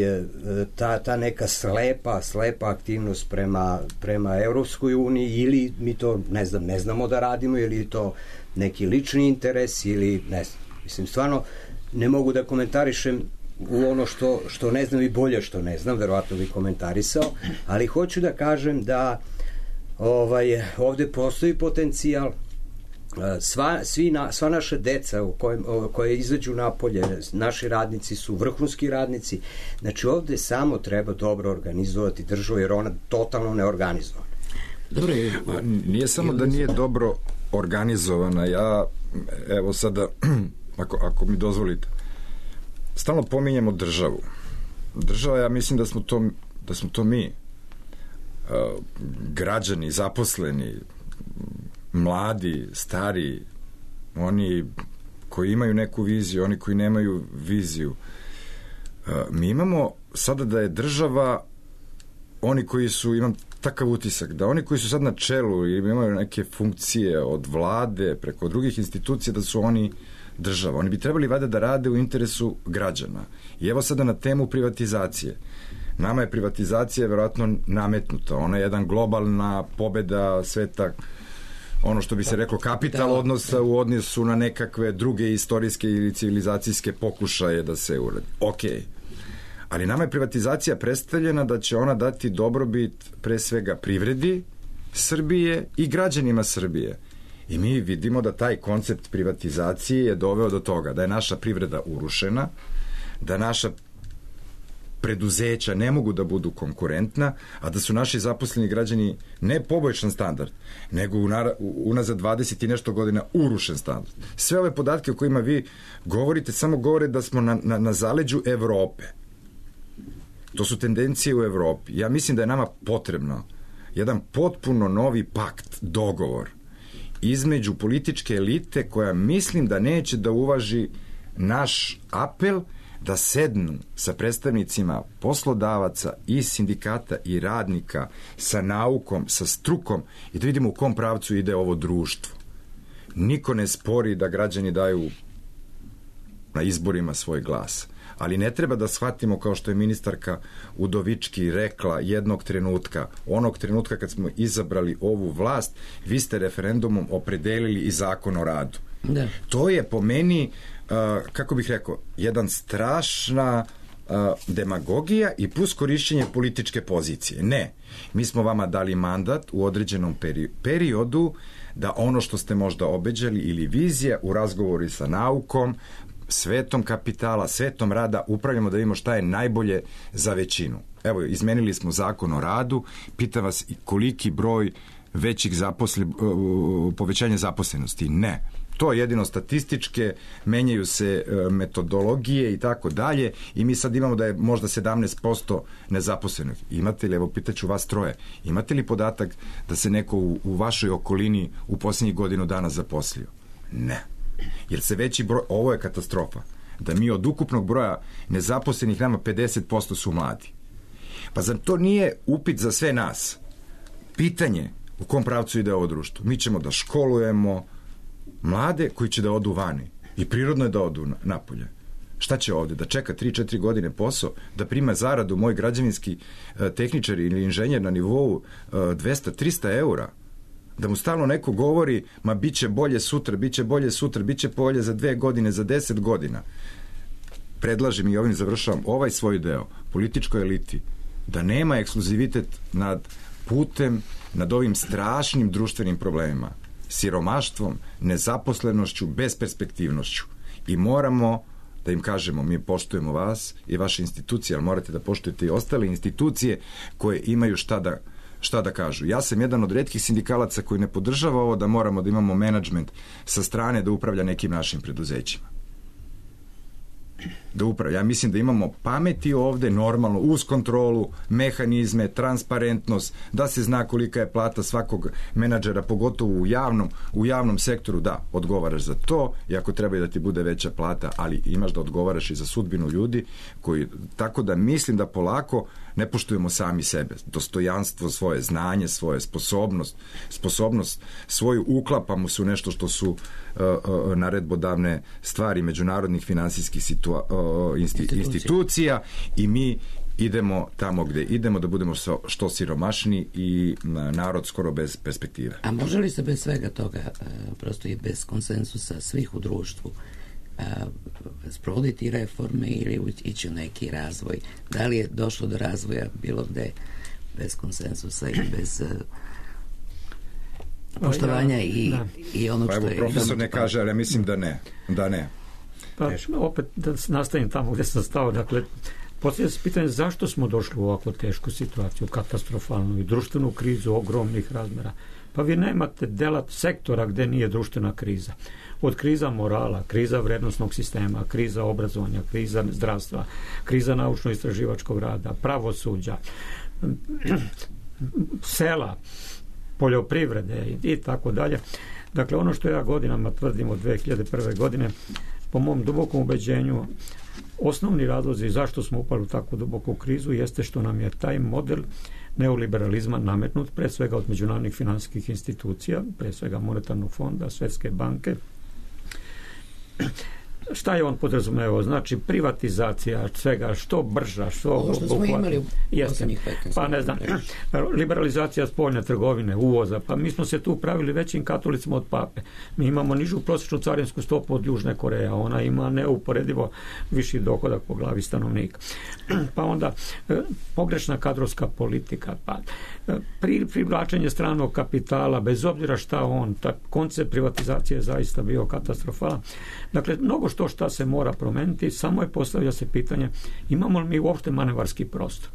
ta, ta neka slepa, slepa aktivnost prema, prema Evropskoj uniji, ili mi to ne znam, ne znamo da radimo, ili je to neki lični interes, ili ne znam. Mislim, stvarno ne mogu da komentarišem u ono što, što ne znam i bolje što ne znam, verovatno bi komentarisao, ali hoću da kažem da ovaj, ovde postoji potencijal. Sva, svi na, sva naša deca u kojem, koje izađu napolje, naši radnici su vrhunski radnici, znači ovde samo treba dobro organizovati državu, jer ona totalno neorganizovana. Dobro, nije samo da nije dobro organizovana, ja evo sada ako, ako mi dozvolite, stalno pominjemo državu. Država, ja mislim da smo to, da smo to mi, građani, zaposleni, mladi, stari, oni koji imaju neku viziju, oni koji nemaju viziju. Mi imamo sada da je država, oni koji su, imam takav utisak, da oni koji su sad na čelu i imaju neke funkcije od vlade preko drugih institucija, da su oni država. Oni bi trebali valjda da rade u interesu građana. I evo sada na temu privatizacije. Nama je privatizacija verovatno nametnuta. Ona je jedan globalna pobeda sveta, ono što bi se reklo kapital odnosa u odnosu na nekakve druge istorijske ili civilizacijske pokušaje da se uradi. Okej. Ali nama je privatizacija predstavljena da će ona dati dobrobit pre svega privredi Srbije i građanima Srbije. I mi vidimo da taj koncept privatizacije je doveo do toga da je naša privreda urušena, da naša preduzeća ne mogu da budu konkurentna, a da su naši zaposleni građani ne poboljšan standard, nego unazad dvadeset i nešto godina urušen standard. Sve ove podatke o kojima vi govorite samo govore da smo na, na, na zaleđu Evrope. To su tendencije u Evropi. Ja mislim da je nama potrebno jedan potpuno novi pakt, dogovor između političke elite koja mislim da neće da uvaži naš apel da sednu sa predstavnicima poslodavaca i sindikata i radnika, sa naukom, sa strukom i da vidimo u kom pravcu ide ovo društvo. Niko ne spori da građani daju na izborima svoj glas, ali ne treba da shvatimo, kao što je ministarka Udovički rekla jednog trenutka, onog trenutka kad smo izabrali ovu vlast, vi ste referendumom opredelili i zakon o radu. Da. To je po meni, uh, kako bih rekao, jedan strašna uh, demagogija i plus korišćenje političke pozicije. Ne, mi smo vama dali mandat u određenom peri- periodu da ono što ste možda obeđali ili vizija u razgovoru sa naukom, svetom kapitala, svetom rada, upravljamo da vidimo šta je najbolje za većinu. Evo, izmenili smo zakon o radu, pitam vas koliki broj većih zaposle, povećanja zaposlenosti? Ne. To je jedino statističke, menjaju se metodologije i tako dalje i mi sad imamo da je možda sedamnaest posto nezaposlenih. Imate li, evo pitaću vas troje, imate li podatak da se neko u, u vašoj okolini u posljednjih godinu dana zaposlio? Ne. Jer se veći broj, ovo je katastrofa, da mi od ukupnog broja nezaposlenih nama pedeset posto su mladi. Pa zar to nije upit za sve nas? Pitanje u kom pravcu ide ovo društvo. Mi ćemo da školujemo mlade koji će da odu vani. I prirodno je da odu napolje. Šta će ovde? Da čeka tri četiri godine posao, da prima zaradu moj građevinski e, tehničar ili inženjer na nivou e, dvesta trista eura? Da mu stalno neko govori, ma bit će bolje sutra, bit će bolje sutra, bit će bolje za dve godine, za deset godina. Predlažem i ovim završavam ovaj svoj deo političkoj eliti da nema ekskluzivitet nad putem, nad ovim strašnim društvenim problemima, siromaštvom, nezaposlenošću, besperspektivnošću. I moramo da im kažemo, mi poštujemo vas i vaše institucije, ali morate da poštujete i ostale institucije koje imaju šta da, šta da kažu. Ja sam jedan od retkih sindikalaca koji ne podržava ovo da moramo da imamo menadžment sa strane da upravlja nekim našim preduzećima. Da upravlja. Ja mislim da imamo pameti ovde, normalno, uz kontrolu, mehanizme, transparentnost, da se zna kolika je plata svakog menadžera, pogotovo u javnom, u javnom sektoru, da, odgovaraš za to i ako treba i da ti bude veća plata, ali imaš da odgovaraš i za sudbinu ljudi koji, tako da mislim da polako ne poštujemo sami sebe, dostojanstvo, svoje znanje, svoje sposobnost, sposobnost svoju uklapamo su nešto što su uh, uh, naredbodavne stvari međunarodnih finansijskih situa, uh, insti, institucija i mi idemo tamo gde idemo da budemo što siromašni i narod skoro bez perspektive. A može li se bez svega toga, prosto i bez konsensusa svih u društvu, sprovoditi reforme ili ići u neki razvoj? Da li je došlo do razvoja bilo gde bez konsensusa i bez poštovanja ja, i, i ono pa što evo, je... profesor ne kaže, ali ja mislim da ne. Da ne. Pa opet da nastavim tamo gde sam stao, dakle, poslije se pitanje zašto smo došli u ovakvu tešku situaciju, katastrofalnu i društvenu krizu ogromnih razmera. Pa vi nemate dela sektora gde nije društvena kriza. Od kriza morala, kriza vrednostnog sistema, kriza obrazovanja, kriza zdravstva, kriza naučno-istraživačkog rada, pravosuđa, sela, poljoprivrede i tako dalje. Dakle, ono što ja godinama tvrdim od dve hiljade prve. godine, po mom dubokom ubeđenju, osnovni razlozi zašto smo upali u takvu duboku krizu jeste što nam je taj model neoliberalizma nametnut, pre svega od međunarodnih finansijskih institucija, pre svega Monetarnog fonda, Svetske banke. Šta je on podrazumevao? Znači privatizacija svega, što brža, što... Ovo što smo imali u posljednjih petnaest. Pa ne znam, liberalizacija spoljne trgovine, uvoza, pa mi smo se tu pravili većim katolicima od pape. Mi imamo nižu prosječnu carinsku stopu od Južne Koreje, a ona ima neuporedivo viši dohodak po glavi stanovnika. Pa onda pogrešna kadrovska politika, pa pri, privlačenje stranog kapitala, bez obzira šta on, ta koncept privatizacije je zaista bio katastrofalan. Dakle, mnogo što šta se mora promeniti, samo je postavlja se pitanje imamo li mi uopšte manevarski prostor.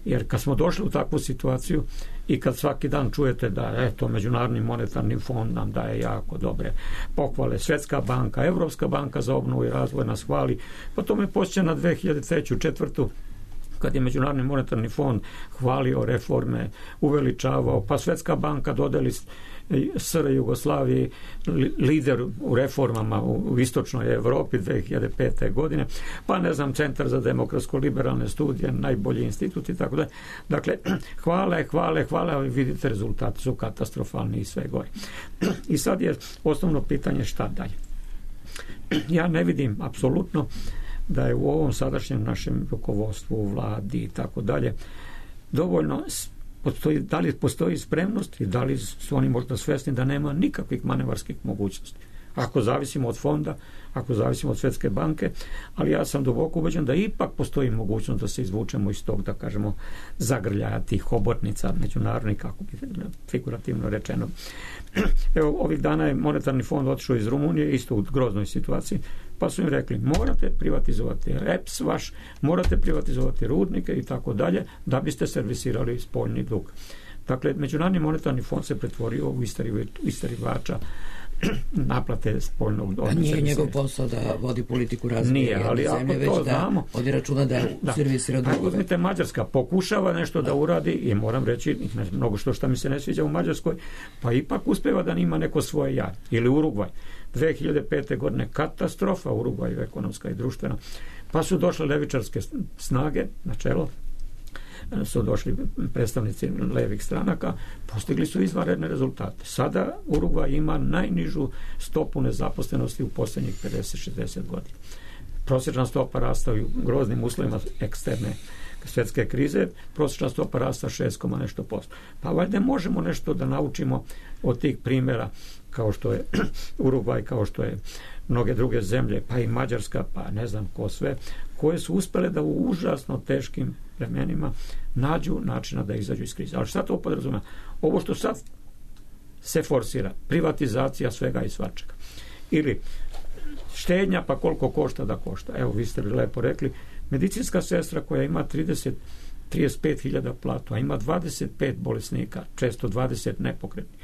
Jer kad smo došli u takvu situaciju i kad svaki dan čujete da eto, Međunarodni monetarni fond nam daje jako dobre pohvale, Svetska banka, Evropska banka za obnovu i razvoj nas hvali, pa to me posjeća na dve hiljade treću. četvrtu. kad je Međunarodni monetarni fond hvalio reforme, uveličavao, pa Svetska banka dodeli S R Jugoslaviji lider u reformama u istočnoj Evropi dve hiljade pete. godine, pa ne znam, Centar za demokratsko-liberalne studije, najbolji institut i tako da. Dakle, hvale, hvale, hvale, ali vidite rezultati su katastrofalni i sve gore. I sad je osnovno pitanje šta dalje. Ja ne vidim apsolutno da je u ovom sadašnjem našem rukovodstvu, u vladi i tako dalje dovoljno postoji, da li postoji spremnost i da li su oni možda svesni da nema nikakvih manevarskih mogućnosti. Ako zavisimo od fonda, ako zavisimo od Svetske banke, ali ja sam duboko ubeđen da ipak postoji mogućnost da se izvučemo iz tog, da kažemo, zagrljaja tih hobotnica međunarodnih, kako bi figurativno rečeno. Evo, ovih dana je monetarni fond otišao iz Rumunije, isto u groznoj situaciji, pa su im rekli, morate privatizovati E P S vaš, morate privatizovati rudnike i tako dalje, da biste servisirali spoljni dug. Dakle, Međunarodni monetarni fond se pretvorio u istarivača naplate spoljnog odnosa. Nije njegov posao da vodi politiku razvoja Nije, ali ako zemlje, to već znamo, da vodi računa da, da. servisira drugove. Uzmite, Mađarska pokušava nešto da, da uradi i moram reći, mnogo što šta mi se ne sviđa u Mađarskoj, pa ipak uspeva da nima neko svoje ja. Ili Urugvaj. dve hiljade pete. godine katastrofa u Urugvaju, ekonomska i društvena. Pa su došle levičarske snage na čelo, su došli predstavnici levih stranaka, postigli su izvanredne rezultate. Sada Urugvaj ima najnižu stopu nezaposlenosti u posljednjih pedeset šezdeset godina. Prosječna stopa rasta u groznim uslovima eksterne svjetske krize, prosječna stopa rasta šest, nešto posto. Pa valjda možemo nešto da naučimo od tih primjera kao što je Urugvaj, kao što je mnoge druge zemlje, pa i Mađarska, pa ne znam ko sve, koje su uspjele da u užasno teškim vremenima nađu načina da izađu iz krize. Ali šta to podrazumeva? Ovo što sad se forsira, privatizacija svega i svačega. Ili štednja, pa koliko košta da košta. Evo, vi ste lepo rekli, medicinska sestra koja ima trideset do trideset pet hiljada platu, a ima dvadeset pet bolesnika, često dvadeset nepokretnih.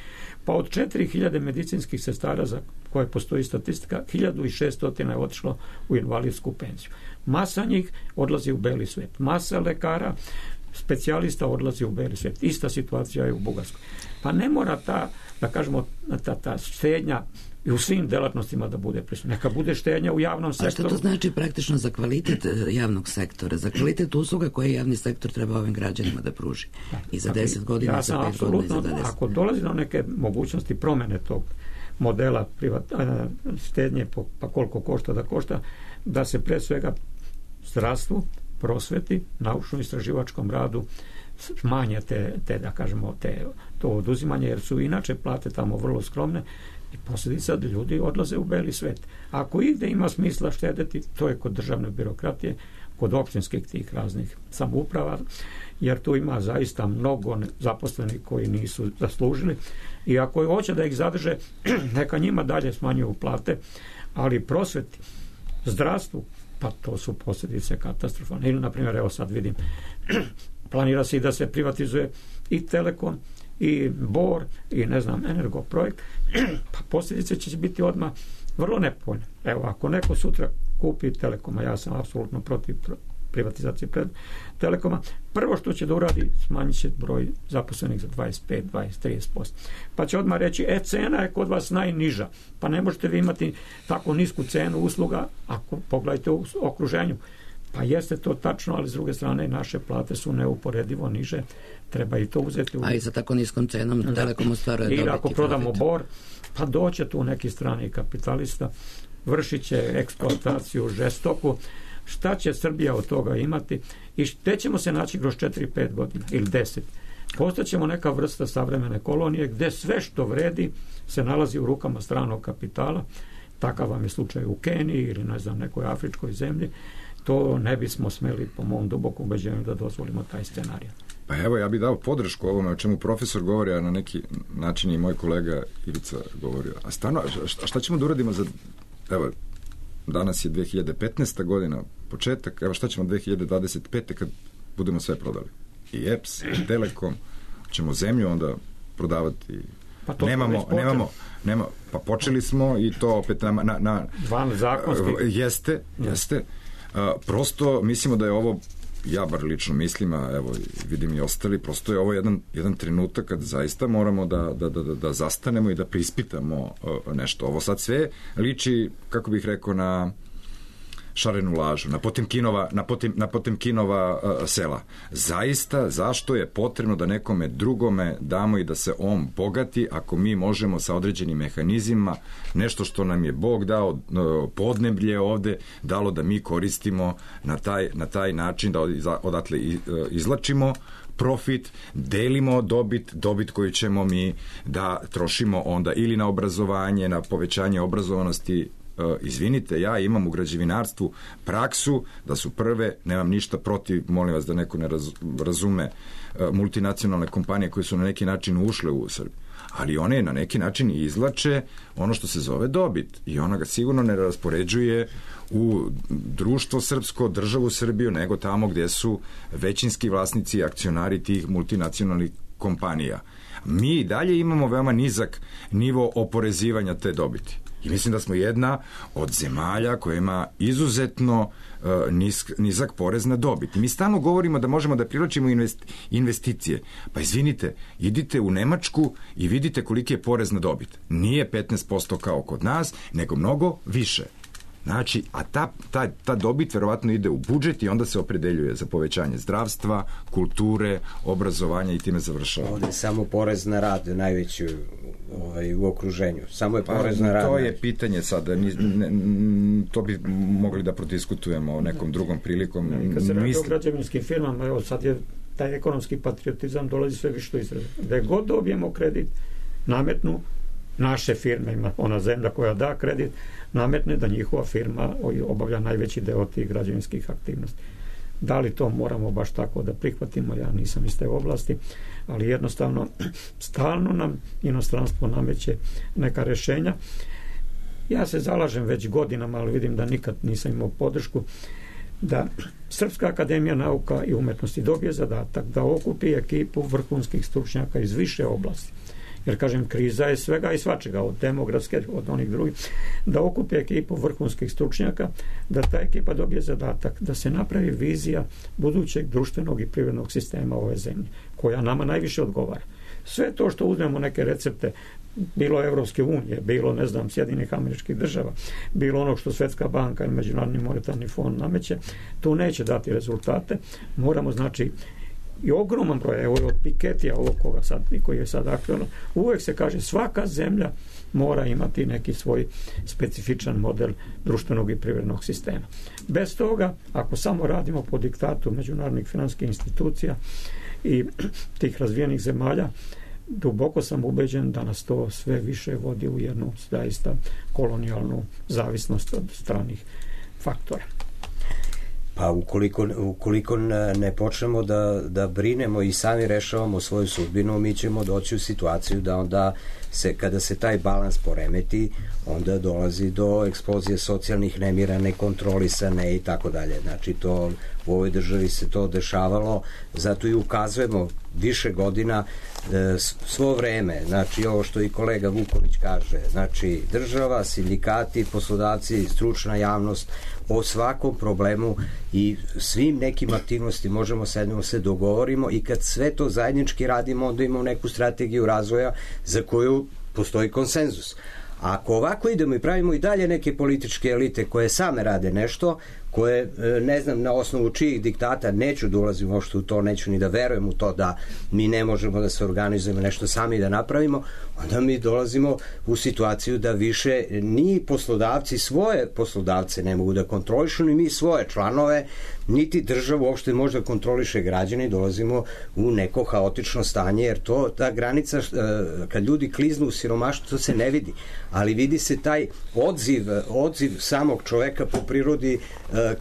Pa od četiri hiljade medicinskih sestara za koje postoji statistika, hiljadu šesto je otišlo u invalidsku penziju. Masa njih odlazi u beli svijet. Masa lekara, specijalista odlazi u beli svijet. Ista situacija je u Bugarskoj. Pa ne mora ta, da kažemo, ta, ta štednja i u svim delatnostima da bude prisutna. Neka bude štednja u javnom sektoru. A što to znači praktično za kvalitet javnog sektora, za kvalitet usluga koje javni sektor treba ovim građanima da pruži? I za deset godina, ja za pet godina, i za dvadeset. Ako dolazi do neke mogućnosti promjene tog modela privat, štednje, pa koliko košta da košta, da se pre svega zdravstvu, prosveti, naučno-istraživačkom radu smanje te, te, da kažemo, te, to oduzimanje, jer su inače plate tamo vrlo skromne i posljedica da ljudi odlaze u beli svet. Ako ide ima smisla štedeti, to je kod državne birokratije, kod općinskih tih raznih samouprava, jer tu ima zaista mnogo zaposlenih koji nisu zaslužili i ako hoće da ih zadrže, neka njima dalje smanjuju plate, ali prosveti, zdravstvu, pa to su posljedice katastrofalne. Ili, na primjer, evo sad vidim, planira se i da se privatizuje i Telekom, i Bor, i ne znam, Energoprojekt, pa posljedice će biti odmah vrlo nepovoljne. Evo, ako neko sutra kupi Telekoma, ja sam apsolutno protiv privatizacije pred Telekoma, prvo što će da uradi, smanjit će broj zaposlenih za dvadeset pet, dvadeset, trideset posto. Pa će odmah reći, e, cena je kod vas najniža, pa ne možete vi imati tako nisku cenu usluga, ako pogledajte u okruženju. Pa jeste to tačno, ali s druge strane naše plate su neuporedivo niže, treba i to uzeti u... A i sa tako niskom cenom da. Telekom ostvaruje dobiti. I ako prodamo Bor, pa doće tu neki strani kapitalista, vršit će eksploataciju žestoku. Šta će Srbija od toga imati i gde ćemo se naći kroz četiri pet godina ili deset? Postaćemo neka vrsta savremene kolonije gde sve što vredi se nalazi u rukama stranog kapitala. Takav vam je slučaj u Keniji ili ne znam nekoj afričkoj zemlji. To ne bismo smeli, po mom dubokom ubeđenju, da dozvolimo taj scenarij. Pa evo, ja bih dao podršku ovome o čemu profesor govori, a na neki način i moj kolega Ivica govorio. A stvarno, šta, šta ćemo da uradimo za... Evo, danas je dve hiljade petnaesta. godina, početak, evo šta ćemo dve hiljade dvadeset pete. kad budemo sve prodali? I E P S, i Telekom, ćemo zemlju onda prodavati. Pa to nemamo, nemamo, nema, pa počeli smo i to opet na... na, na Van zakonski. Jeste, jeste. Uh, prosto mislimo da je ovo, ja bar lično mislim, a evo vidim i ostali, prosto je ovo jedan, jedan trenutak kad zaista moramo da, da, da, da zastanemo i da preispitamo uh, nešto. Ovo sad sve liči, kako bih rekao, na šarenu lažu, na Potemkinova, na Potem, na Potemkinova uh, sela. Zaista, zašto je potrebno da nekome drugome damo i da se on bogati, ako mi možemo sa određenim mehanizmima nešto što nam je Bog dao, uh, podneblje ovde, dalo da mi koristimo na taj, na taj način, da odatle uh, izlačimo profit, delimo dobit, dobit koju ćemo mi da trošimo onda ili na obrazovanje, na povećanje obrazovanosti. Izvinite, ja imam u građevinarstvu praksu da su prve, nemam ništa protiv, molim vas da neko ne razume, multinacionalne kompanije koje su na neki način ušle u Srbiju, ali one na neki način izlače ono što se zove dobit i ona ga sigurno ne raspoređuje u društvo srpsko, državu Srbiju, nego tamo gdje su većinski vlasnici, akcionari tih multinacionalnih kompanija. Mi dalje imamo veoma nizak nivo oporezivanja te dobiti. I mislim da smo jedna od zemalja koja ima izuzetno uh, nisk, nizak porez na dobit. I mi stalno govorimo da možemo da privlačimo invest, investicije. Pa izvinite, idite u Nemačku i vidite koliki je porez na dobit. Nije petnaest posto kao kod nas, nego mnogo više. Znači, a ta, ta, ta dobit verovatno ide u budžet i onda se opredeljuje za povećanje zdravstva, kulture, obrazovanja i time završava. Ovdje je samo porez na rad najveći ovaj, u okruženju. Samo je porez pa, na rad. To je najveći. pitanje sada. Ni, ne, to bi mogli da prodiskutujemo o nekom drugom prilikom. Ne, kad se radi Misli... o građevinskim firmama, evo sad je taj ekonomski patriotizam dolazi sve više do izraza. Da god dobijemo kredit, nametnu naše firme, ima ona zemlja koja da kredit, nametne da njihova firma obavlja najveći deo tih građevinskih aktivnosti. Da li to moramo baš tako da prihvatimo, ja nisam iz te oblasti, ali jednostavno stalno nam inostranstvo nameće neka rešenja. Ja se zalažem već godinama, ali vidim da nikad nisam imao podršku, da Srpska akademija nauka i umetnosti dobije zadatak da okupi ekipu vrhunskih stručnjaka iz više oblasti. Jer, kažem, kriza je svega i svačega, od demografske, od onih drugih, da okupi ekipu vrhunskih stručnjaka, da ta ekipa dobije zadatak da se napravi vizija budućeg društvenog i privrednog sistema ove zemlje, koja nama najviše odgovara. Sve to što uzmemo neke recepte, bilo Evropske unije, bilo, ne znam, Sjedinjenih Američkih Država, bilo ono što Svetska banka i Međunarodni monetarni fond nameće, to neće dati rezultate. Moramo, znači, i ogroman broj, evo od Piketija, ovog koga sad, koji je sad aktualno, uvek se kaže svaka zemlja mora imati neki svoj specifičan model društvenog i privrednog sistema. Bez toga, ako samo radimo po diktatu međunarodnih finansijskih institucija i tih razvijenih zemalja, duboko sam ubeđen da nas to sve više vodi u jednu zaista kolonijalnu zavisnost od stranih faktora. Pa ukoliko, ukoliko ne počnemo da, da brinemo i sami rešavamo svoju sudbinu, mi ćemo doći u situaciju da onda se, kada se taj balans poremeti, onda dolazi do eksplozije socijalnih nemira, nekontrolisane i tako dalje. Znači, to u ovoj državi se to dešavalo, zato i ukazujemo više godina e, svo vreme, znači ovo što i kolega Vuković kaže, znači država, sindikati, poslodavci, stručna javnost, o svakom problemu i svim nekim aktivnosti možemo sednemo se dogovorimo i kad sve to zajednički radimo, onda imamo neku strategiju razvoja za koju postoji konsenzus. A ako ovako idemo i pravimo i dalje neke političke elite koje same rade nešto, koje, ne znam na osnovu čijih diktata, neću da ulazim uopšte u to, neću ni da verujem u to da mi ne možemo da se organizujemo nešto sami da napravimo, onda mi dolazimo u situaciju da više ni poslodavci svoje poslodavce ne mogu da kontrolišu, ni mi svoje članove, niti država uopšte može da kontroliše građane i dolazimo u neko haotično stanje, jer to, ta granica, kad ljudi kliznu u siromaštvo, to se ne vidi, ali vidi se taj odziv, odziv samog čoveka po prirodi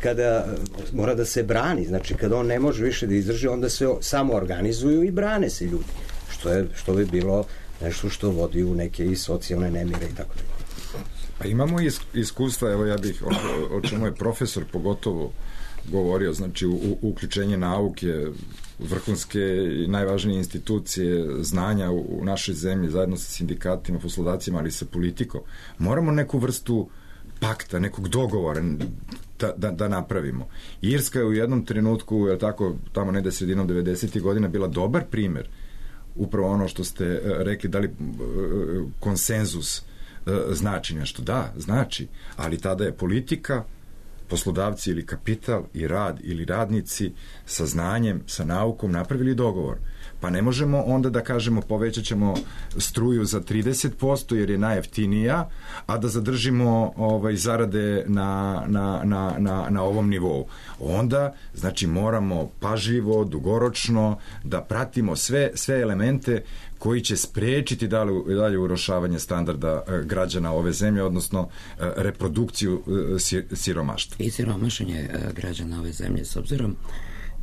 kada mora da se brani, znači kada on ne može više da izdrži, onda se samo organizuju i brane se ljudi, što je, što bi bilo nešto što vodi u neke i socijalne nemire i tako dalje. Pa imamo iskustva, evo ja bih, o, o čemu je profesor pogotovo govorio, znači u, u, uključenje nauke, vrhunske i najvažnije institucije znanja u, u našoj zemlji, zajedno sa sindikatima, poslodavcima, ali i sa politikom. Moramo neku vrstu pakta, nekog dogovora da, da, da napravimo. Irska je u jednom trenutku, je tako, tamo negde sredinom devedesetih godina bila dobar primer, upravo ono što ste rekli, da li konsenzus znači nešto. Da, znači, ali tada je politika, poslodavci ili kapital i rad ili radnici sa znanjem, sa naukom napravili dogovor. Pa ne možemo onda da kažemo povećat ćemo struju za trideset posto jer je najjeftinija, a da zadržimo ovaj, zarade na, na, na, na, na ovom nivou. Onda, znači, moramo pažljivo, dugoročno da pratimo sve, sve elemente koji će sprečiti dalje, dalje urošavanje standarda građana ove zemlje, odnosno reprodukciju siromaštva. I siromašenje građana ove zemlje, s obzirom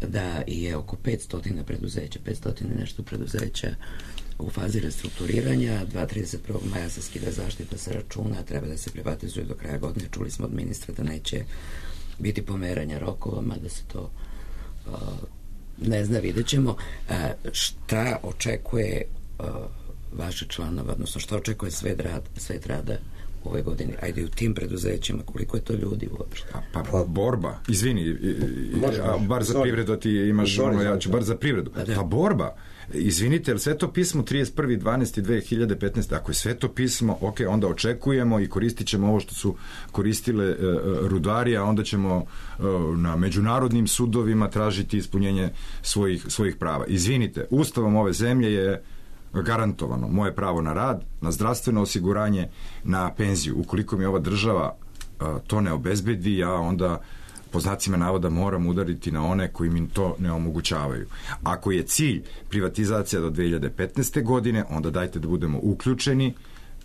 da je oko petsto preduzeća, petsto nešto preduzeća u fazi restrukturiranja, dva trideset prvog maja se skida zaštita sa računa, treba da se privatizuje do kraja godine. Čuli smo od ministra da neće biti pomeranja rokova, mada se to uh, Ne zna, vidjet ćemo šta očekuje vaše članova, odnosno šta očekuje svet rada, svet rada ove godine, ajde u tim preduzećima, koliko je to ljudi uopšte? Pa, pa borba, izvini, može, a, bar za privredu ti imaš ono, ja ću bar za privredu. Pa borba, izvinite, jer Sveto pismo trideset prvi decembar dve hiljade petnaeste. Ako je Sveto pismo, ok, onda očekujemo i koristit ćemo ovo što su koristile uh, rudari, a onda ćemo uh, na međunarodnim sudovima tražiti ispunjenje svojih, svojih prava. Izvinite, ustavom ove zemlje je garantovano moje pravo na rad, na zdravstveno osiguranje, na penziju. Ukoliko mi ova država uh, to ne obezbedi, ja onda po znacima navoda moram udariti na one koji mi to ne omogućavaju. Ako je cilj privatizacija do dve hiljade petnaeste. godine, onda dajte da budemo uključeni,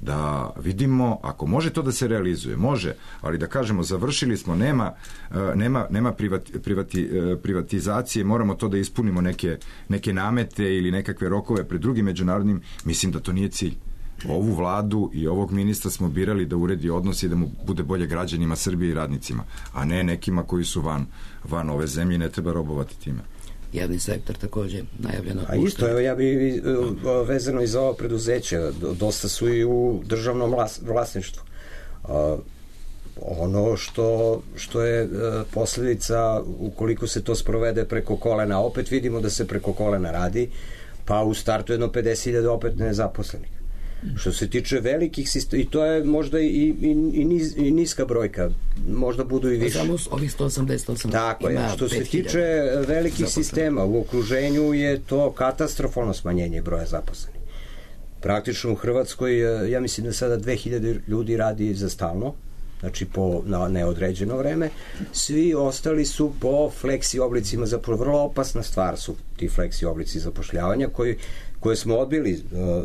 da vidimo, ako može to da se realizuje, može, ali da kažemo završili smo, nema, nema, nema privati, privati, privatizacije, moramo to da ispunimo neke, neke namete ili nekakve rokove pred drugim međunarodnim, mislim da to nije cilj. Ovu vladu i ovog ministra smo birali da uredi odnos i da mu bude bolje građanima Srbije i radnicima, a ne nekima koji su van, van ove zemlje, ne treba robovati time. Javni sektor takođe najavljeno. A isto, evo ja bi vezano i za ovo preduzeće, dosta su i u državnom vlasništvu. Ono što, što je posljedica, ukoliko se to sprovede preko kolena, opet vidimo da se preko kolena radi, pa u startu jedno pedeset hiljada opet nezaposlenih. Što se tiče velikih sistema, i to je možda i, i, i, niz, i niska brojka, možda budu i više. Samo ovih sto osamdeset osam. Tako je, što se tiče velikih zaposlenih sistema, u okruženju je to katastrofalno smanjenje broja zaposlenih. Praktično u Hrvatskoj, ja mislim da sada dve hiljade ljudi radi za stalno, znači po na neodređeno vreme, svi ostali su po fleksi oblicima, zapravo vrlo opasna stvar su ti fleksi oblici zapošljavanja koji koje smo odbili uh,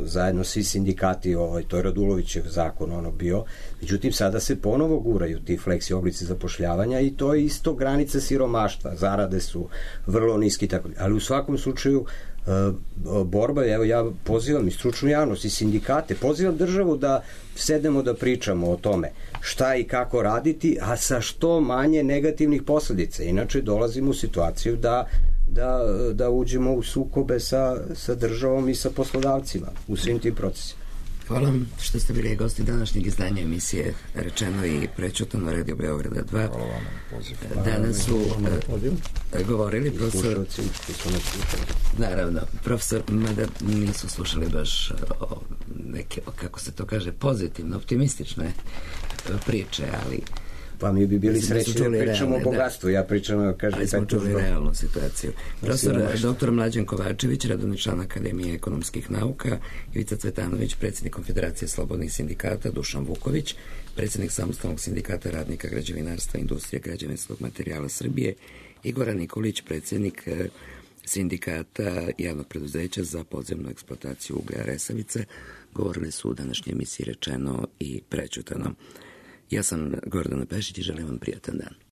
zajedno svi sindikati, ovaj, to je Radulovićev zakon ono bio, međutim sada se ponovo guraju ti fleksi oblici zapošljavanja i to je isto granica siromaštva, zarade su vrlo niski, tako, ali u svakom slučaju uh, borba, evo ja pozivam i stručnu javnost i sindikate, pozivam državu da sednemo da pričamo o tome šta i kako raditi, a sa što manje negativnih posledica, inače dolazimo u situaciju da Da, da uđemo u sukobe sa, sa državom i sa poslodavcima u svim tim procesima. Hvala vam što ste bili gosti današnjeg izdanja emisije Rečeno i prećutano Radio Beograda dva. Hvala vam na pozivu. Danas su uh, govorili profesor... Naravno, profesor, mada nisu slušali baš o neke, o, kako se to kaže, pozitivno, optimistične priče, ali... Pa mi bi bili srećni da pričamo o bogatstvu, ja pričam, kažem... Ali smo čuli realnu situaciju. Profesor doktor Mlađan Kovačević, redovni član Akademije ekonomskih nauka, Ivica Cvetanović, predsjednik Konfederacije slobodnih sindikata, Dušan Vuković, predsjednik Samostalnog sindikata radnika građevinarstva, industrije, građevinskog materijala Srbije, i Goran Nikolić, predsjednik sindikata javnog preduzeća za podzemnu eksploataciju uglja Resavice, govorili su u današnjoj emisiji Rečeno i prećutano. Ja sam Gordana Pešić i želim vam prijatan dan.